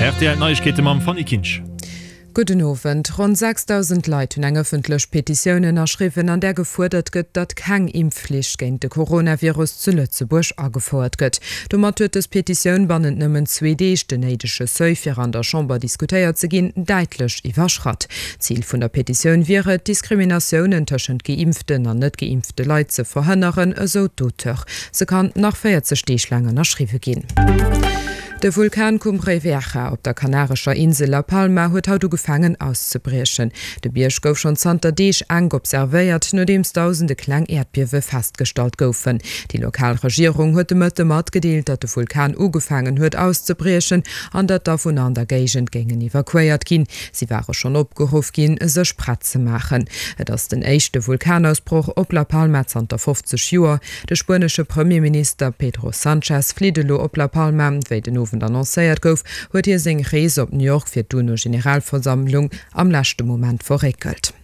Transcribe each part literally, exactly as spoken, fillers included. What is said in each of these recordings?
R T L Neiegkeete mam Fanny Kinsch. Gudden Owend. Ronn sechsdausend Leit hunn eng ëffentlech Petitioun ënnerschriwwen, an där gefuerdert gëtt, datt keng Impfflicht géint de Coronavirus zu Lëtzebuerg agefouert gëtt. Domat huet dës Petitioun bannent nëmmen zwee Deeg den néidege Seuil, fir an der Chamber diskutéiert ze ginn, däitlech iwwerschratt. Zil vun der Petitioun wier et, Diskriminatiounen tëschent geimpften an net geimpfte Leit ze verhënneren, esou d'Auteur. Se kann nach véierzeg Deeg laang ënnerschriwwe ginn. De Vulkan Cumbre Vieja op der kanarescher Insel La Palma huet haut ugefaangen auszebriechen. De Bierg gouf schonn zanter Deeg enk observéiert, nodeems dausende kleng Äerdbiewe festgestallt goufen. Déi lokal Regierung huet de Mëtte matgedeelt, datt de Vulkan ugefaangen huet auszebriechen an datt d'Awunner an der Géigend géingen evakuéiert ginn. Si ware schonn opgeruff ginn, sech prett ze maachen. Et ass den éischte Vulkanausbroch op La Palma zanter fofzeg Joer. De spuenesche Premierminister Pedro Sanchez flitt elo op La Palma. Wéi den Owend annoncéiert gouf, huet hie seng Rees op New York fir d'UNO-Generalversammlung am leschte Moment verréckelt.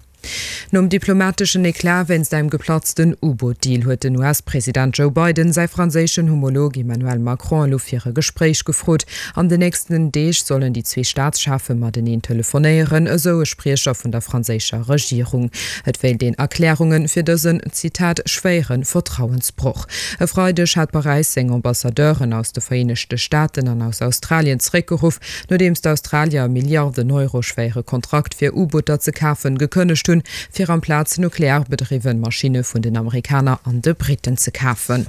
Nom diplomateschen Eclat wéinst engem geplatzten U-Boot-Deal huet den U S-President Joe Biden säi franséischen Homolog Emmanuel Macron elo fir e Gespréich gefrot. An den nächsten Deeg sollen déi zwee Staatscheffe mateneen telefonéieren, esou e Spriecher vun der franséischer Regierung. Et wéilt een Erklärunge fir dësen, Zitat, schwéiere Vertrauensbroch. E Freideg hat Paräis seng Ambassadeuren aus de Vereenegte Staaten an aus Australien zeréckgeruff, nodeems d'Australier e Milliarden Euro schwéiere Kontrakt fir U-Booter ze kafen gekënnegt hunn, fir amplaz nuklearbedriwwe Maschinne vun den Amerikaner an de Britten ze kafen.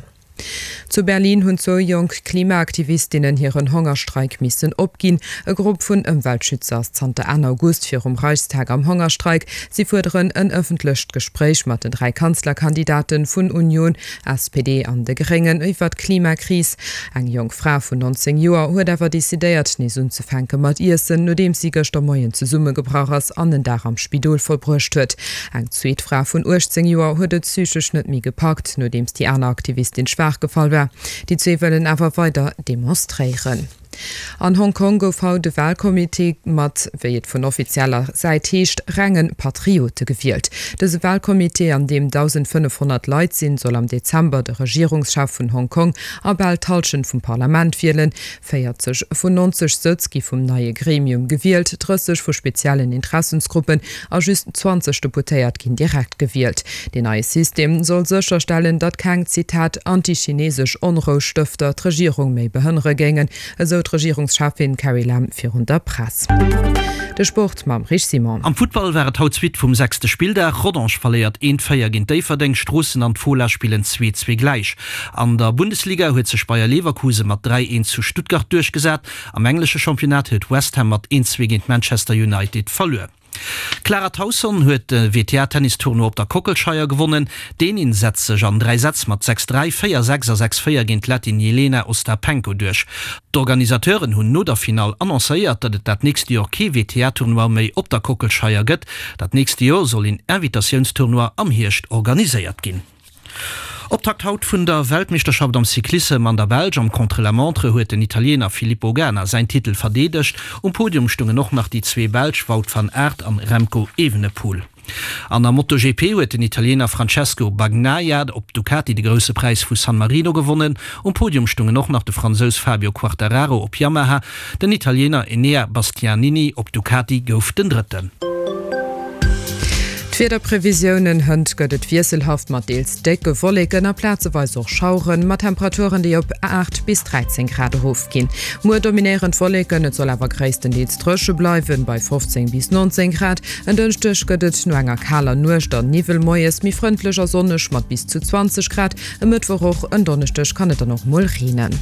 Zu Berlin hunn zwou jonk Klimaaktivistinnen hiren Hongerstreik missen opginn. E Grupp vun Ëmweltschützer ass zanter Enn August virum Reichstag am Hongerstreik. Si fuerderen en ëffentlecht Gespréich mat den dräi Kanzlerkandidate vun Union, S P D an de Gréngen iwwer d'Klimakris. Eng jonk Fra vun nonzéng Joer huet awer decidéiert, nees unzefänke mat iessen, nodeems si gëschter Moien zesummegebrach ass an en Dag am Spidol verbruecht huet. Eng zweet Fra vun uechtzéng Joer huet et psychesch net méi gepackt, nodeems déi aner Aktivistin schwaach gefall war. Déi zwee wëllen awer weider demonstréieren. An Hong Kong gouf haut de Walcomité mat, wéi et vun offizieller Säit heescht, renge Patriote gewielt. Dëse Walcomité, an deem dausendfënnefhonnert Leit sinn, soll am Dezember de Regierungschef vun Hong Kong a bal d'Hallschent vum Parlament wielen. Véierzeg vun nonzeg Sëtz gi vum neie Gremium gewielt, drësseg vu speziellen Interessensgruppen a just zwanzeg Deputéiert ginn direkt gewielt. Deen neie System soll sécherstellen, datt keng, Zitat, antichinesesch Onroustëfter d'Regierung méi behënnere géingen, esou d'Regierungscheffin Carrie Lam virun der Press. De Sport mam Rich Simon. Am Futtball war et haut d'Suite vum sechste Spilldag. Rodange verléiert eent, véier géint Déifferdeng, Stroossen an d'Fola spillen zwee, zwee gläich. An der Bundesliga huet sech Bayer Leverkusen mat dräi, eent zu Stuttgart duerchgesat. Am englesche Championnat huet West Ham mat eent, zwee géint Manchester United verluer. D'Clara Tauson huet de W T A-Tennistournoi op der Kockelscheier gewonnen. D'Dänin setzt sech an dräi Sätz mat sechs dräi, véier sechs a sechs véier géint d'Lettin Jelena Ostapenko duerch. D'Organisateuren hunn no der Finall annoncéiert, datt et dat nächst Joer kee W T A-Tournoi méi op der Kockelscheier gëtt. Dat nächst Joer soll een Invitatiounstournoi am Hierscht organiséiert ginn. Optakt haut vun der Weltmeeschterschaft am Cyclissem an der Belsch. Am Contre-la-montre huet den Italiener Filippo Ganna säin Titel verdeedegt. Um Podium stungen och nach déi zwee Belsch Wout van Aert an Remco Evenepoel. An der MotoGP huet den Italiener Francesco Bagnaia op Ducati de Grousse Präis vu San Marino gewonnen. Um Podium stungen och nach de Fransous Fabio Quartararo op Yamaha. Den Italiener Enea Bastianini op Ducati gouf den Drëtten. D'Wiederprevisiounen, Hënt gëtt et wiesselhaft mat deels décke Wolleken a plazeweis och Schaueren, mat Temperaturen, déi op aacht bis dräizéng Grad erofginn. Muer dominéieren d'Wolleken, et soll awer gréisstendeels dréche bleiwen, bei fofzéng bis nonzéng Grad. En Dënschdeg gëtt et no enger kaler Nuecht an Niwwel moies méi frëndlech a sonneg mat bis zu zwanzeg Grad. E Mëttwoch och en Donneschdeg kann et dann och mol reenen.